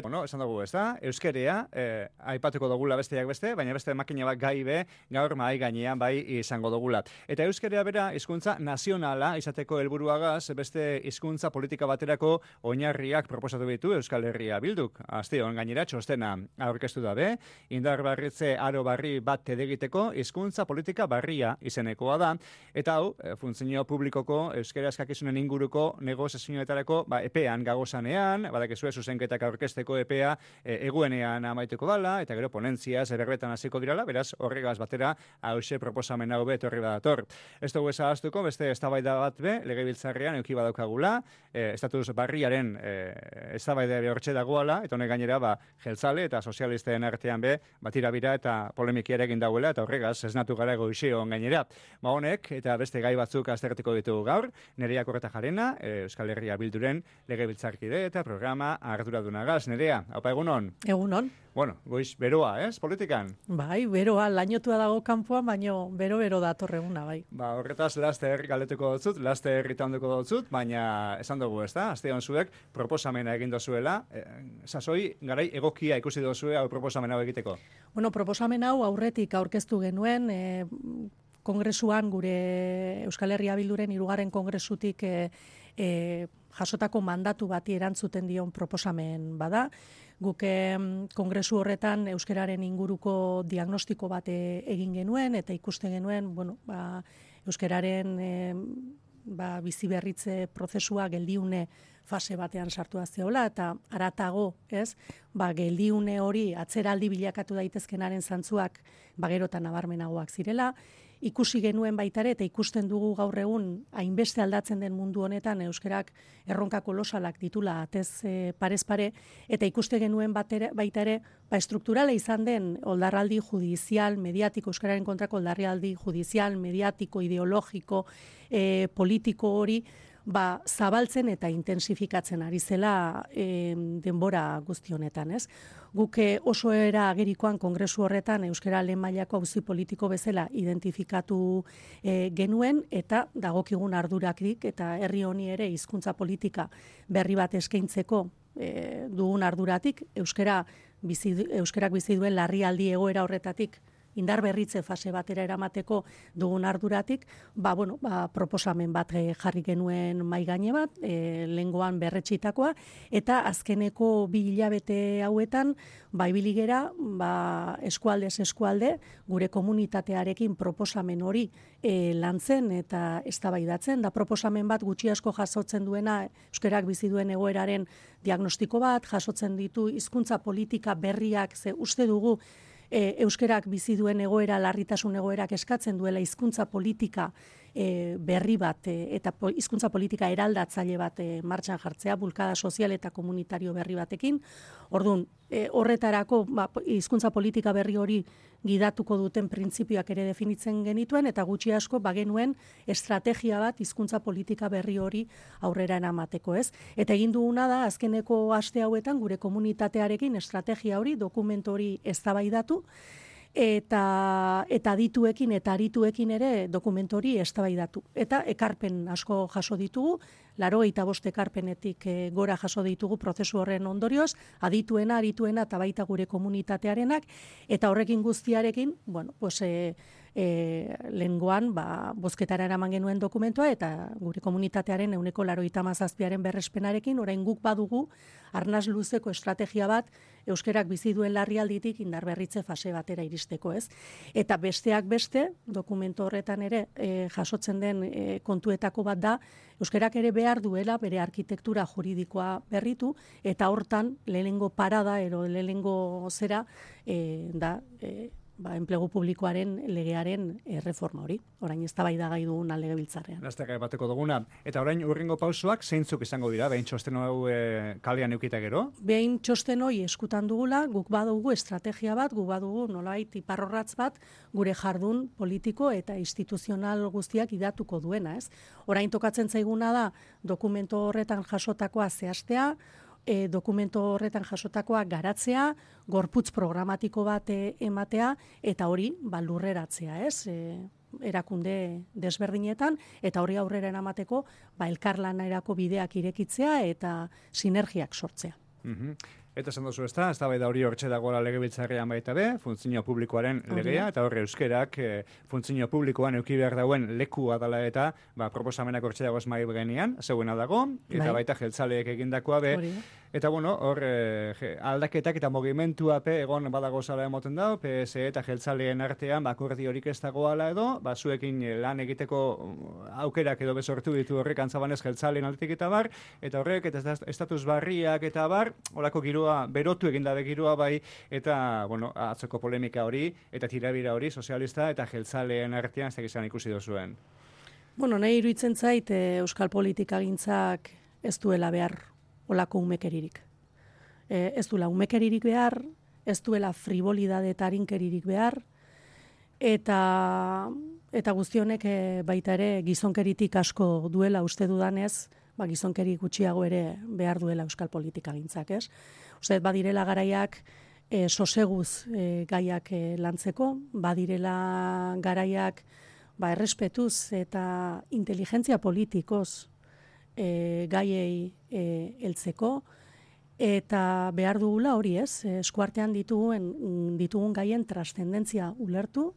no, esan dugu, ez da? Euskerea, aipatuko dugula besteak beste, baina beste makina bat gai be, gaur mahai gainean bai izango dugula. Eta euskerea bera hizkuntza nazionala izateko helburuagaz beste hizkuntza politika baterako oinarriak proposatu ditu Euskal Herria Bilduk. Asteon gainera txostena aurkeztu dabe, indarberritze aro barri bat egiteko hizkuntza politika barria izenekoa da, eta hau, funtzio publikoko euskera eskakizunen inguruko negoziazioetarako epean gagozanean, badakizue zuzenketak aurkezteko epea eguenean amaituko dala, eta gero ponentzia zerberbetan hasiko dirala, beraz horregaz batera hause proposamen hau etorri badator. Ez dugu ezagaztuko, beste eztabaida bat be, legebiltzarrean eduki badaukagula, estatus barriaren eztabaida hortxe dagoala, eta honek gainera jeltzale eta sozialisten artean be, batirabira eta polemikia egin dauela, eta horregaz esnatu gara goizion gainera. Honek, eta beste gai batzuk aztertiko ditugu gaur, Nerea Kortajarena, Euskal Herria Bilduren legebiltzarkide eta programa arduradunagaz. Nerea, haupa egunon? Egunon. Bueno, goiz beroa, politikan? Bai, beroa, lainotua dago kanpoan, baino bero datorreguna, bai. Horretaz, laster galetuko dotzut, laster irritanduko dotzut, baina esan dugu, ez da? Astean zuek proposamena egin dozuela, sasoi, garai egokia ikusi dozue hau proposamen hau egiteko? Bueno, proposamen hau aurretik aurkeztu genuen, kongresuan gure Euskal Herria Bilduren 3. kongresutik jasotako mandatu bati erantzuten dion proposamen bada. Guk kongresu horretan euskararen inguruko diagnostiko bat egin genuen eta ikusten genuen, euskararen biziberritze prozesua geldiune fase batean sartu zeola eta haratago, ez? Geldiune hori atzeraldi bilakatu daitezkenaren zantzuak gerotan nabarmenagoak zirela. Ikusi genuen baitare eta ikusten dugu gaur egun hainbeste aldatzen den mundu honetan euskarak erronka kolosalak ditula atez parez pare eta ikuste genuen baitare estrukturala izan den oldarraldi judizial, mediatiko, euskararen kontrako oldarraldi judizial, mediatiko, ideologiko, politiko hori zabaltzen eta intensifikatzen ari zela denbora guzti honetan, ez? Guk oso era agerikoan kongresu horretan euskara lehen mailako auzi politiko bezala identifikatu genuen eta dagokigun arduratik eta herri honi ere hizkuntza politika berri bat eskaintzeko dugun arduratik euskarak bizi duen larrialdi egoera horretatik indar berritze fase batera eramateko dugun arduratik, proposamen bat jarri genuen mahai gaine bat, lehengoan berretxitakoa, eta azkeneko 2 hilabete hauetan, ibili gera, eskualdez eskualde, gure komunitatearekin proposamen hori lantzen eta eztabaidatzen, da proposamen bat gutxi asko jasotzen duena, euskarak bizi duen egoeraren diagnostiko bat, jasotzen ditu hizkuntza politika berriak, ze uste dugu, euskarak bizi duen egoera, larritasun egoerak eskatzen duela hizkuntza politika berri bat eta hizkuntza politika eraldatzaile bat martxan jartzea, bulkada sozial eta komunitario berri batekin. Orduan, horretarako hizkuntza politika berri hori gidatuko duten printzipioak ere definitzen genituen eta gutxi asko bagenuen estrategia bat hizkuntza politika berri hori aurrera eramateko, ez? Eta egin duguna da azkeneko aste hauetan gure komunitatearekin estrategia hori, dokumentu hori eztabaidatu eta adituekin eta arituekin ere dokumentu hori eztabaidatu. Eta ekarpen asko jaso ditugu, 85 ekarpenetik gora jaso ditugu prozesu horren ondorioz, adituena, arituena eta baita gure komunitatearenak, eta horrekin guztiarekin, lehengoan bozketara eraman genuen dokumentua eta gure komunitatearen 97% berrespenarekin, orain guk badugu arnaz luzeko estrategia bat euskarak bizi duen larrialditik indarberritze fase batera iristeko, ez? Eta besteak beste, dokumentu horretan ere jasotzen den kontuetako bat da, euskarak ere behar duela bere arkitektura juridikoa berritu, eta hortan lehenengo parada ero lehenengo zera da enplegu publikoaren legearen reforma hori. Orain eztabaida gai duguna legebiltzarrean. Laster bateko duguna. Eta orain urrengo pausoak zeintzuk izango dira, behin txosten hau kalean eukita gero? Behin txosten hori eskutan dugula, guk badugu estrategia bat, guk badugu nolabait iparrorratz bat, gure jardun politiko eta instituzional guztiak idatuko duena, ez? Orain tokatzen zaiguna da dokumentu horretan jasotakoa zehaztea, dokumento horretan jasotakoa garatzea, gorputz programatiko bat ematea, eta hori lurreratzea, ez? Erakunde desberdinetan, eta hori aurrera eramateko elkarlanerako bideak irekitzea eta sinergiak sortzea. Eta esan duzu ezta hori hortxe dagoela legebiltzarrean baita be, funtzio publikoaren legea, eta horre euskerak funtzio publikoan eduki behar dauen lekua dela eta proposamenak hortxe dagoz mai genean, zeuena dago, eta baita jeltzaleek egindakoa be, eta hor aldaketak eta mogimentua egon badago zala emoten dau, PSE eta jeltzaleen artean akordiorik ez dagoala edo, zuekin lan egiteko aukerak edo bezortu ditu horrek antzabanez jeltzaleen aldetik eta bar, eta horrek eta estatus barriak eta bar, horako giroa, berotu egindabe giroa bai, eta, atzoko polemika hori, eta tirabira hori, sozialista eta jeltzaleen artean ez egizan ikusi dozuen. Nahi iruditzen zait, euskal politikagintzak ez duela behar olako umekeririk. Ez duela umekeririk behar, ez duela frivolidade eta arinkeririk behar, eta guztionek baita ere gizonkeritik asko duela uste dudanez, gizonkeri gutxiago ere behar duela euskal politikagintzak, ez? Uste, badirela garaiak soseguz gaiak lantzeko, badirela garaiak errespetuz eta inteligentzia politikoz gaiei heltzeko, eta behar dugula hori ez, eskuartean ditugun gaien trascendentzia ulertu,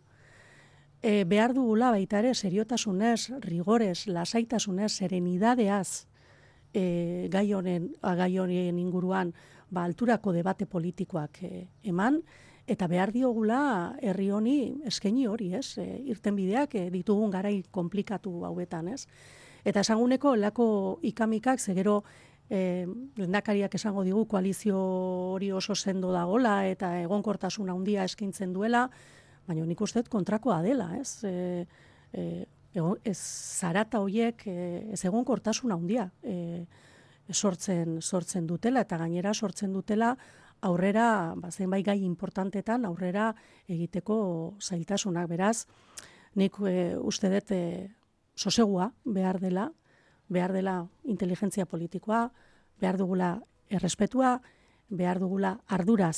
behar dugula baita ere seriotasunez, rigorez, lasaitasunez, serenidadeaz gai honen inguruan alturako debate politikoak eman, eta behar diogula herri honi eskaini hori, ez? Irtenbideak ditugun garai konplikatu hauetan, ez? Eta esanguneko lako ikamikak, zegero lehendakariak esango digu koalizio hori oso sendo dagola eta egonkortasun handia eskaintzen duela, baina nik uste kontrakoa dela, ez? Ez zarata horiek ez egonkortasun handia sortzen dutela, eta gainera sortzen dutela aurrera, zenbait gai importantetan aurrera egiteko zailtasunak. Beraz, nik uste dut sosegua behar dela inteligentzia politikoa, behar dugula errespetua, behar dugula ardura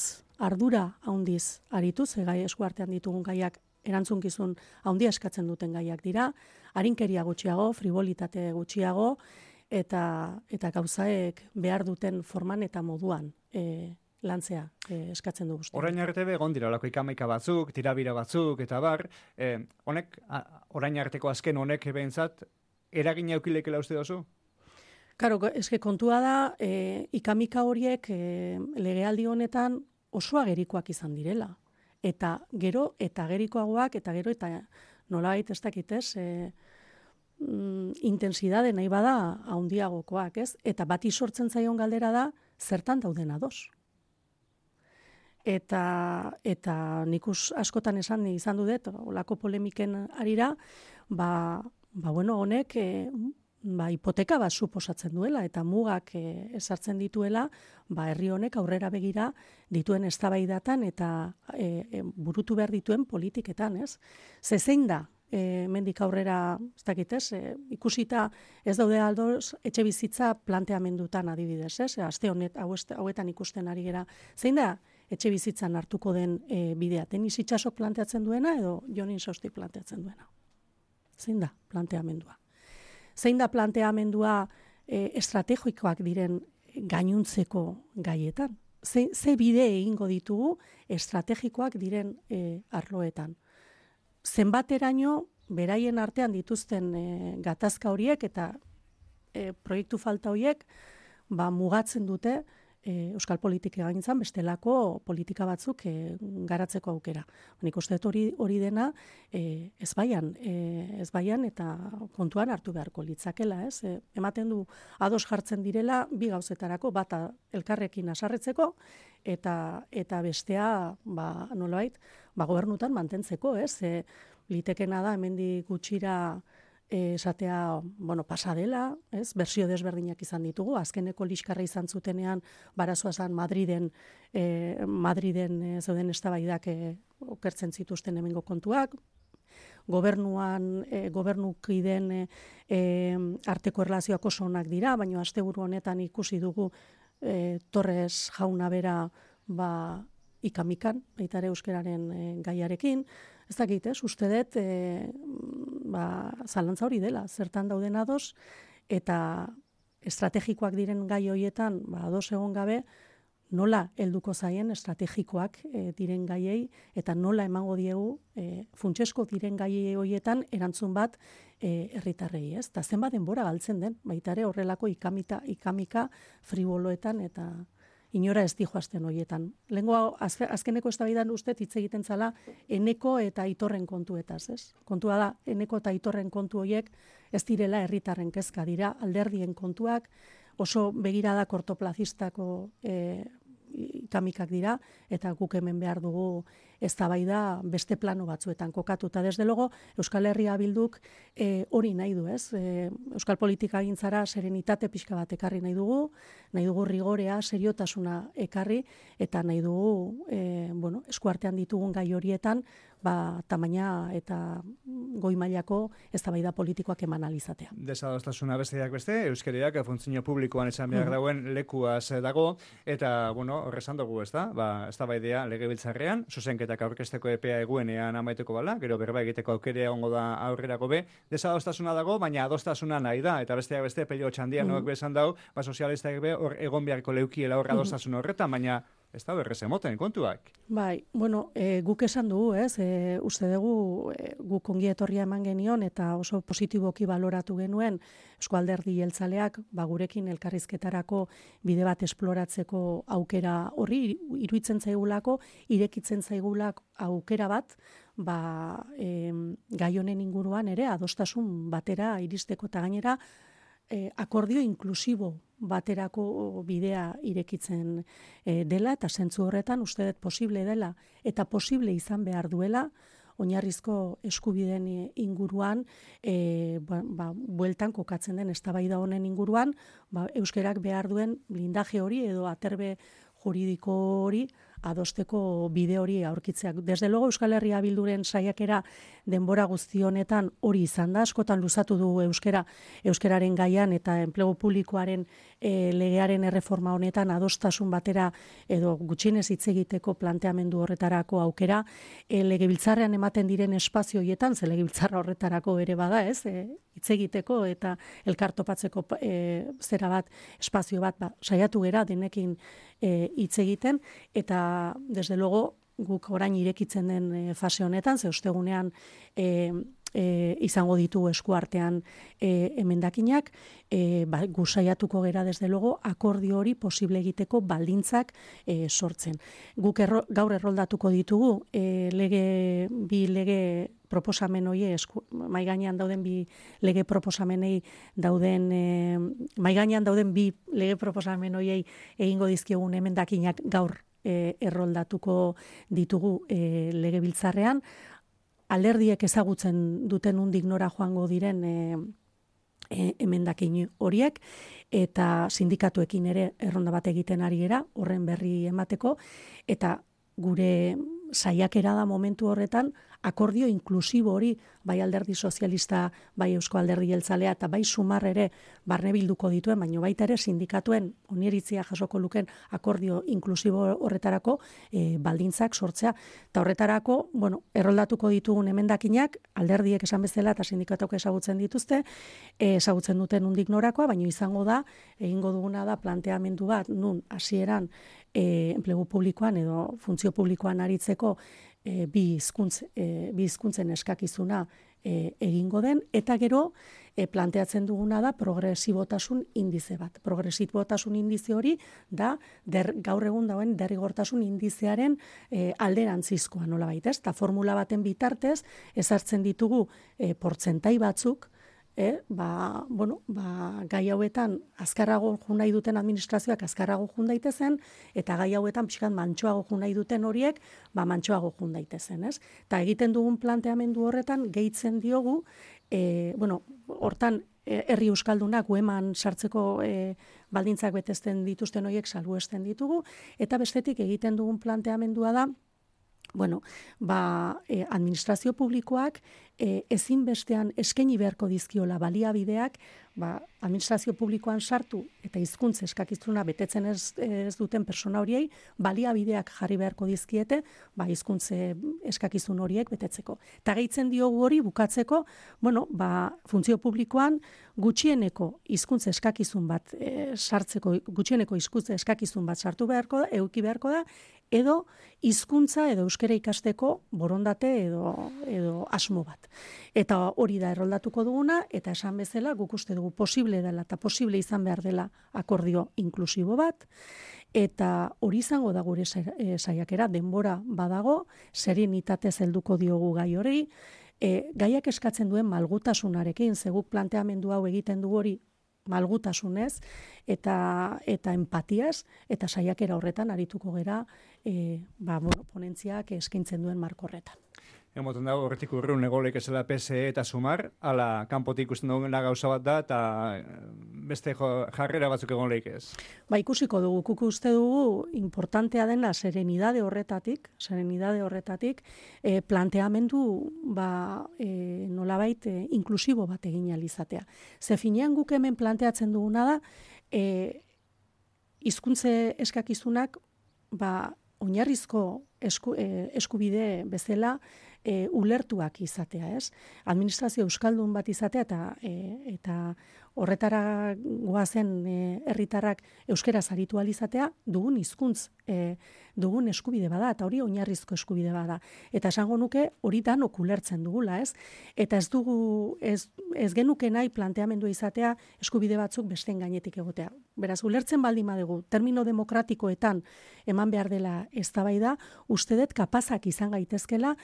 handiz arituz, gai eskuartean ditugun gaiak erantzunkizun handia eskatzen duten gaiak dira, arinkeria gutxiago, frivolitate gutxiago, eta gauzaek behar duten forman eta moduan lantzea eskatzen du guztia. Orain arte egon dira olako ikamaika batzuk, tirabira batzuk, eta bar, honek, orain arteko azken honek behintzat, eragina eukilekela uste dozu? Karo, eske kontua da, ikamika horiek legealdi honetan oso agerikoak izan direla. Eta gero, eta agerikoagoak, eta gero, eta nolabait ez dakitez, intensidade nahi bada handiagokoak, ez? Eta bati sortzen zaion galdera da, zertan dauden ados. Eta nik askotan esan dut, olako polemiken arira, honek hipoteka bat suposatzen duela, eta mugak ezartzen dituela, herri honek aurrera begira dituen eztabaidatan eta burutu behar dituen politiketan, ez? Zein da, mendik aurrera, ez dakitez, ikusita ez daude aldoz etxe bizitza planteamendutan adibidez, ez? Aste hauetan ikusten ari gera. Zein da etxe bizitzan hartuko den bidea? Tenis Itsasok planteatzen duena edo Jon Insosti planteatzen duena? Zein da planteamendua? Zein da planteamendua estrategikoak diren gainuntzeko gaietan? Ze bide egingo ditugu estrategikoak diren arloetan? Zenbateraino beraien artean dituzten gatazka horiek eta proiektu falta horiek mugatzen dute euskal politika gaintzan bestelako politika batzuk garatzeko aukera. Nik uste dut hori dena ezbaian eta kontuan hartu beharko litzakela, ez? Ematen du ados jartzen direla bi gauzetarako, bata elkarrekin haserretzeko eta bestea nolabait gobernutan mantentzeko, ez? Litekena da hemendik gutxira esatea, pasa dela, ez? Bersio desberdinak izan ditugu, azkeneko liskarra izan zutenean barazoa zan Madriden zeuden eztabaidak okertzen zituzten hemengo kontuak, gobernukideen arteko erlazioak oso onak dira, baina asteburu honetan ikusi dugu Torres jauna bera ikamikan, baita ere euskararen gaiarekin. Ez dakit, uste dut zalantza hori dela, zertan dauden ados, eta estrategikoak diren gai horietan ados egon gabe, nola helduko zaien estrategikoak diren gaiei eta nola emango diegu funtsesko diren gaiei horietan erantzun bat herritarrei, ez? Ta zenbat denbora galtzen den, baita ere horrelako ikamika friboloetan eta inora ez dijoazten horietan. Lehengo azkeneko eztabaidan uste hitz egiten zala Eneko eta Aitorren kontuetaz, ez? Kontua da, Eneko eta Aitorren kontu horiek ez direla herritarren kezka, dira alderdien kontuak, oso begirada kortoplazistako ikamikak dira, eta guk hemen behar dugu eztabaida beste plano batzuetan kokatuta. Desde logo, Euskal Herria Bilduk hori nahi du, ez? Euskal politika gintzara serenitate pixka bat ekarri nahi dugu rigorea, seriotasuna ekarri, eta nahi dugu eskuartean ditugun gai horietan, tamaina eta goi mailako eztabaida politikoak eman alizatea. Desadostasuna besteak beste, euskariak funtzio publikoan esan behar dauen lekuaz dago, eta, horrezan dugu, ez da? Eztabaidea legebiltzarrean, zuzenketak aurkezteko epea eguenean amaiteko bala, gero berba egiteko aukerea ongo da aurrerako be, desadostasuna dago, baina adostasuna nahi da, eta besteak beste, Pello Txandian noak bezan dau, sozialistak be, hor egon beharko leukiela hor adostasun horretan, baina ez da berrez emoten kontuak. Bai, guk esan dugu, ez? Uste dugu guk ongi etorria eman genion eta oso positiboki baloratu genuen Eusko Alderdi Jeltzaleak gurekin elkarrizketarako bide bat esploratzeko aukera horri iruditzen zaigulako, irekitzen zaigulako aukera bat, gai honen inguruan ere adostasun batera iristeko eta gainera akordio inklusibo baterako bidea irekitzen dela, eta zentzu horretan uste dut posible dela, eta posible izan behar duela, oinarrizko eskubideen inguruan, bueltan kokatzen den eztabaida honen inguruan, euskerak behar duen blindaje hori edo aterbe juridiko hori adosteko bide hori aurkitzeak. Desde logo Euskal Herria Bilduren saiakera denbora guzti honetan hori izan da, askotan luzatu du euskararen gaian eta enplegu publikoaren legearen erreforma honetan adostasun batera edo gutxienez hitz egiteko planteamendu horretarako aukera, legebiltzarrean ematen diren espazio horietan, ze legebiltzarra horretarako ere bada, ez? Hitz egiteko eta elkartopatzeko zera bat, espazio bat, saiatu gera denekin hitz egiten, eta desde luego guk orain irekitzen den fase honetan, ze ostegunean izango ditu eskuartean emendakinak, gu saiatuko gera desde luego akordio hori posible egiteko baldintzak sortzen. Guk gaur erroldatuko ditugu bi lege proposamen hori mai gainean dauden bi lege proposamenei dauden mai gainean dauden bi lege proposamen horiei egingo dizkiogun emendakinak gaur erroldatuko ditugu legebiltzarrean. Alderdiek ezagutzen duten undik nora joango diren emendakin horiek, eta sindikatuekin ere erronda bat egiten ari gera, horren berri emateko, eta gure saiakera da momentu horretan akordio inklusibo hori, bai Alderdi Sozialista, bai Eusko Alderdi Jeltzalea eta bai Sumar ere barne bilduko dituen, baina baita ere sindikatuen oniritzia jasoko luken akordio inklusibo horretarako baldintzak sortzea. Eta horretarako, erroldatuko ditugun emendakinak, alderdiek esan bezala eta sindikatuak ezagutzen dituzte, ezagutzen duten undik norakoa, baina izango da, egingo duguna da planteamendu bat, nun hasieran enplegu publikoan edo funtzio publikoan aritzeko bi hizkuntzen eskakizuna egingo den, eta gero planteatzen duguna da progresibotasun indize bat. Progresibotasun indize hori da gaur egun dauen derrigortasun indizearen alderantzizkoa nolabait, ez? Ta formula baten bitartez ezartzen ditugu portzentai batzuk, gai hauetan azkarrago jo nahi duten administrazioak azkarrago jo daitezen, eta gai hauetan pixkat mantsoago jo nahi duten horiek mantsoago jo daitezen, ez? Eta egiten dugun planteamendu horretan gehitzen diogu, hortan herri euskaldunak ueman sartzeko baldintzak betezten dituzten horiek salbuesten ditugu, eta bestetik egiten dugun planteamendua da, administrazio publikoak ezinbestean eskaini beharko dizkiola baliabideak administrazio publikoan sartu eta hizkuntza eskakizuna betetzen ez duten persona horiei baliabideak jarri beharko dizkiete hizkuntza eskakizun horiek betetzeko. Eta gehitzen diogu hori bukatzeko, funtzio publikoan gutxieneko hizkuntza eskakizun bat sartzeko, gutxieneko hizkuntza eskakizun bat sartu beharko da, eduki beharko da, edo hizkuntza edo euskara ikasteko borondate edo asmo bat. Eta hori da erroldatuko duguna, eta esan bezala guk uste dugu posible dela eta posible izan behar dela akordio inklusibo bat, eta hori izango da gure saiakera, denbora badago, serenitatez helduko diogu gai hori, gaiak eskatzen duen malgutasunarekin, zeguk planteamendu hau egiten du hori malgutasunez eta empatiaz, eta saiakera horretan arituko gera ponentziak eskaintzen duen marko horretan. Emoten dago, horretik urrun egolek ezela PSE eta Sumar, ala kanpotik ikusten duguna gauza bat da, eta beste jarrera batzuk egon lehik ez. Ikusiko dugu, kuk uste dugu, importantea dena serenidade horretatik, planteamendu nolabait inklusibo bat egin alizatea. Ze finean guk hemen planteatzen duguna da, hizkuntze eskakizunak, oinarrizko eskubide bezala ulertuak izatea, ez? Administrazio euskaldun bat izatea eta horretara goazen herritarrak euskaraz aritu ahal izatea dugun hizkuntz, dugun eskubide bada, eta hori oinarrizko eskubide bada. Eta esango nuke hori danok ulertzen dugula, ez? Eta ez genuke nahi planteamendua izatea eskubide batzuk besteen gainetik egotea. Beraz, ulertzen baldin badugu, termino demokratikoetan eman behar dela eztabaida, uste dut kapazak izan gaitezkela,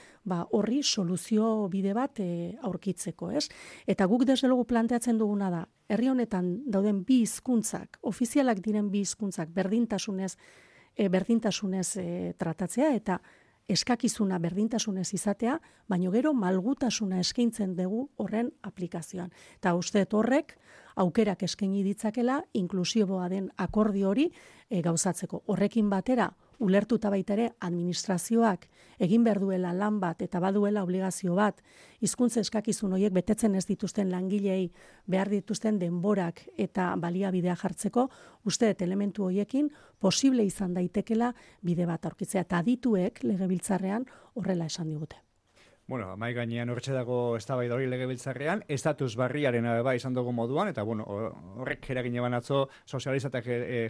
horri soluzio bide bat aurkitzeko, ez? Eta guk desde lugu planteatzen duguna da, herri honetan dauden bi hizkuntzak, ofizialak diren bi hizkuntzak berdintasunez tratatzea eta eskakizuna berdintasunez izatea, baino gero malgutasuna eskaintzen dugu horren aplikazioan. Eta uste horrek aukerak eskaini ditzakela inklusiboa den akordio hori gauzatzeko. Horrekin batera, ulertuta baita ere administrazioak egin behar duela lan bat eta baduela obligazio bat, hizkuntza eskakizun horiek betetzen ez dituzten langilei behar dituzten denborak eta baliabidea jartzeko, uste elementu horiekin posible izan daitekela bide bat aurkitzea. Eta adituek legebiltzarrean horrela esan digute. Mai gainean horretxe dago eztabaida hori legebiltzarrean, estatus barriaren izan dugu moduan, eta horrek eragin eban atzo sozializatak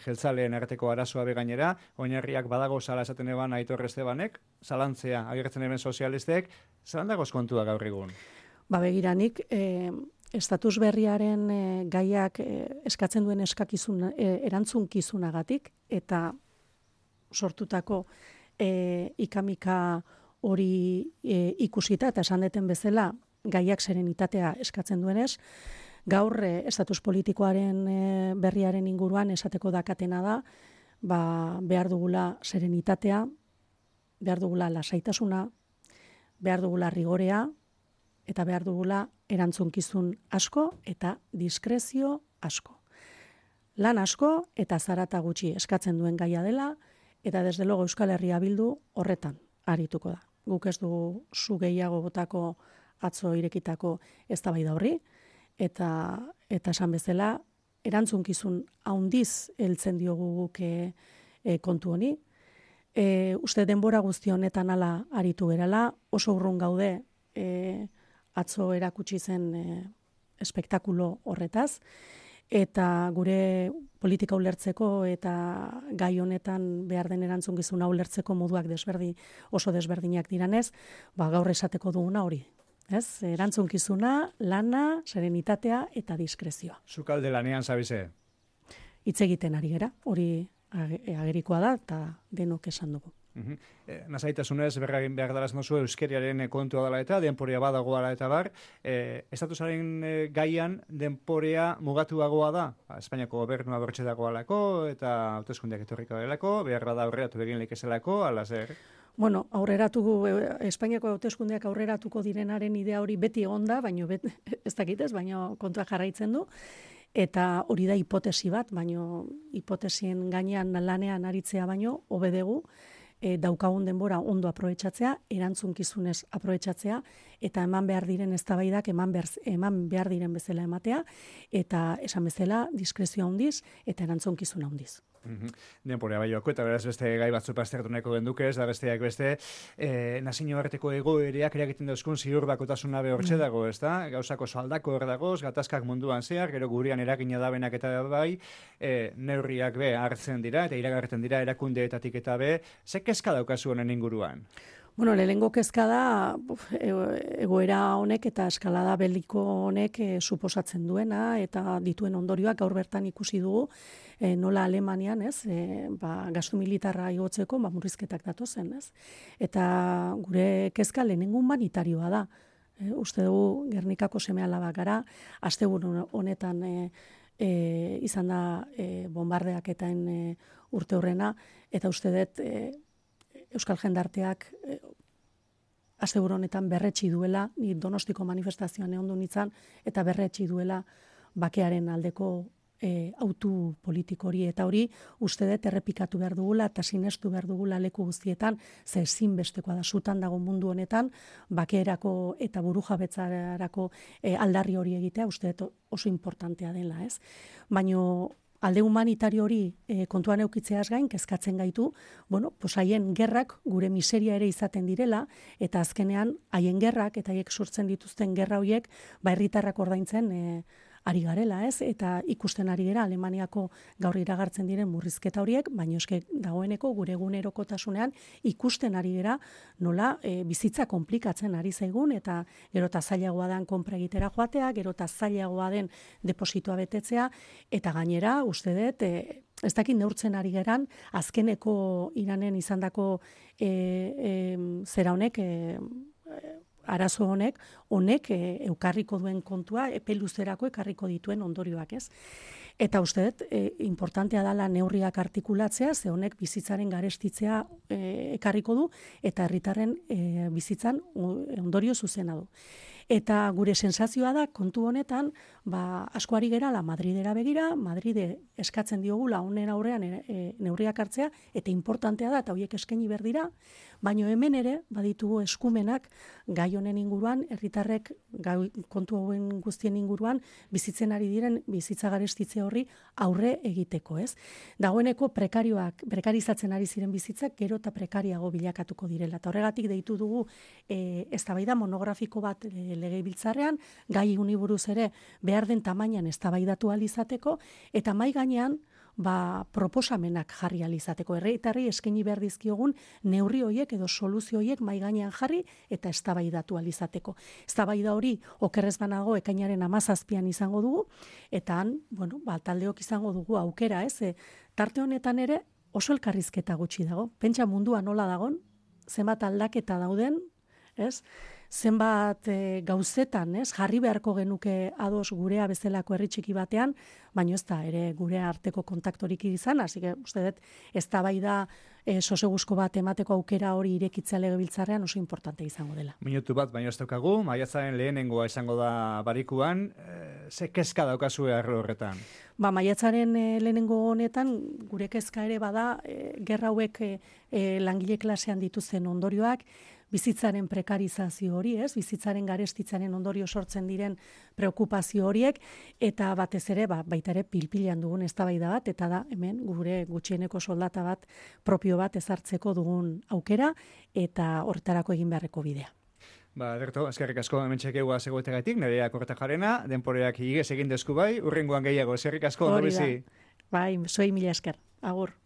jeltzaleen arteko arazoa begainera, oinarriak badago zala esaten eban Aitor Estebanek, zalantzea agertzen eben sozialistek, zalan dagoz kontua gaur egun? Begiranik, estatus berriaren gaiak eskatzen duen erantzunkizunagatik, eta sortutako ikamika hori ikusita eta esan deten bezala gaiak serenitatea eskatzen duenez, gaur estatus politikoaren berriaren inguruan esateko dakatena da, behar dugula serenitatea, behar dugula lasaitasuna, behar dugula rigorea, eta behar dugula erantzunkizun asko eta diskrezio asko. Lan asko eta zarata gutxi eskatzen duen gaia dela, eta desde logo Euskal Herria Bildu horretan arituko da. Guk ez dugu zu gehiago botako atzo irekitako eztabaida horri, eta esan bezala, erantzunkizun haundiz heltzen diogu guk kontu honi. Uste denbora guzti honetan ala aritu gerala, oso urrun gaude atzo erakutsi zen espektakulo horretaz, eta gure politika ulertzeko eta gai honetan behar den erantzunkizuna ulertzeko moduak oso desberdinak diranez, gaur esateko duguna hori. Erantzunkizuna, lana, serenitatea eta diskrezioa. Zukalde lanean zabize? Hitz egiten ari gera, hori agerikoa da eta denok esan dugu. Nasaitasunez berragin behar dalaz nozu euskeriaren kontua dela eta denporea badagoa eta bar, estatusaren gaian denporea mugatuagoa da, Espainiako gobernua bertxe dagoalako eta hauteskundeak etorriko delako, behar bada aurreratu egin leikezelako, ala zer? Espainiako hauteskundeak aurreratuko direnaren idea hori beti egon da, baina ez dakitez, baina kontua jarraitzen du. Eta hori da hipotesi bat, baina hipotesien gainean lanean aritzea baino, hobedegu, daukagun denbora ondo aprobetxatzea, erantzunkizunez aprobetxatzea, eta eman behar diren eztabaidak eman behar diren bezala ematea, eta esan bezala diskrezioa handiz eta erantzunkizuna handiz. Denporea bai joako, eta beraz beste gai batzu pastertu nahiko genduke, ez da besteak beste, nazio arteko egoereak eragiten dauzkun ziur bakotasuna behortxe dago, ez da? Gauzako soaldako hor dagoz, gatazkak munduan zehar, gero gurian eragina dabenak eta bai, neurriak be hartzen dira, eta iragarten dira erakundeetatik eta be, ze kezka daukazu honen inguruan? Bueno, lehenengo kezka da egoera honek eta eskalada beliko honek suposatzen duena eta dituen ondorioak gaur bertan ikusi dugu nola Alemanian, ez, gastu militarra igotzeko murrizketak datozen, ez? Eta gure kezka lehenengo humanitarioa da. Uste dugu Gernikako seme-alabak gara, asteburu honetan izan da bombardeak etaen urte horrena, eta uste dut Euskal Jendarteak asteburu honetan berretsi duela, ni Donostiko manifestazioan egon du nintzen, eta berretsi duela bakearen aldeko autu politiko hori, eta hori uste dut errepikatu behar dugula eta sinestu behar dugula leku guztietan, ze ezinbestekoa da sutan dago mundu honetan, bakeerako eta burujabetzarako aldarri hori egitea, uste dut oso importantea dela, ez? Baino alde humanitario hori kontuan eukitzeaz gain, kezkatzen gaitu, bueno, pues haien gerrak gure miseria ere izaten direla, eta azkenean haien gerrak eta haiek sortzen dituzten gerra horiek, herritarrak ordaintzen ari garela, ez? Eta ikusten ari gara Alemaniako gaur iragartzen diren murrizketa horiek, baina eske dagoeneko gure egunerokotasunean ikusten ari gara nola bizitza konplikatzen ari zaigun, eta gero eta zailagoa den konpra egitera joatea, gero eta zailagoa den depositoa betetzea, eta gainera uste dut ez dakit neurtzen ari geran, azkeneko Iranen izandako zera honek, arazo honek eukarriko duen kontua, epe luzerako ekarriko dituen ondorioak, ez? Eta uste dut, importantea dela neurriak artikulatzea, ze honek bizitzaren garestitzea ekarriko du, eta herritarren bizitzan ondorio zuzena du. Eta gure sensazioa da, kontu honetan, asko ari gerala Madridera begira, Madride eskatzen diogula honen aurrean neurriak hartzea, eta importantea da, eta horiek eskaini behar dira, baina hemen ere, baditugu eskumenak gai honen inguruan, herritarrek kontu hauen guztien inguruan, bizitzen ari diren bizitza garestitze horri aurre egiteko, ez? Dagoeneko prekarizatzen ari ziren bizitzak, gero eta prekariago bilakatuko direla. Eta horregatik deitu dugu eztabaida monografiko bat legebiltzarrean, gai honi buruz ere behar den tamainan eztabaidatu ahal izateko, eta mahai gainean proposamenak jarri ahal izateko. Herritarrei eskaini behar dizkiogun neurri horiek edo soluzio horiek mahai gainean jarri eta eztabaidatu ahal izateko. Eztabaida hori okerrez banago ekainaren 17an izango dugu, eta han, taldeok izango dugu aukera, ez? Tarte honetan ere oso elkarrizketa gutxi dago. Pentsa mundua nola dagon, zenbat aldaketa dauden, ez? Zenbat gauzetan, ez? Jarri beharko genuke ados gurea bezalako herri txiki batean, baina ez da ere gure arteko kontaktorik izan, hasi que uste dut eztabaida soseguzko bat emateko aukera hori irekitzea legebiltzarrean oso importante izango dela. Minutu bat, baina ez daukagu, maiatzaren lehenengoa izango da barikuan, ze kezka daukazue arlo horretan? Maiatzaren lehenengo honetan, gure kezka ere bada, gerra hauek langile klasean dituzten ondorioak, bizitzaren prekarizazio hori, ez? Bizitzaren garestitzaren ondorio sortzen diren preokupazio horiek, eta batez ere, baita ere pilpilean dugun eztabaida bat, eta da hemen gure gutxieneko soldata bat, propio bat ezartzeko dugun aukera, eta horretarako egin beharreko bidea. Derto, eskerrik asko hemen txekegua zegoetegatik, Nerea Kortajarena, denporeak igez egin desku bai, urrengoan gehiago, eskerrik asko, ondo bizi. Bai, zuei mila esker, agur.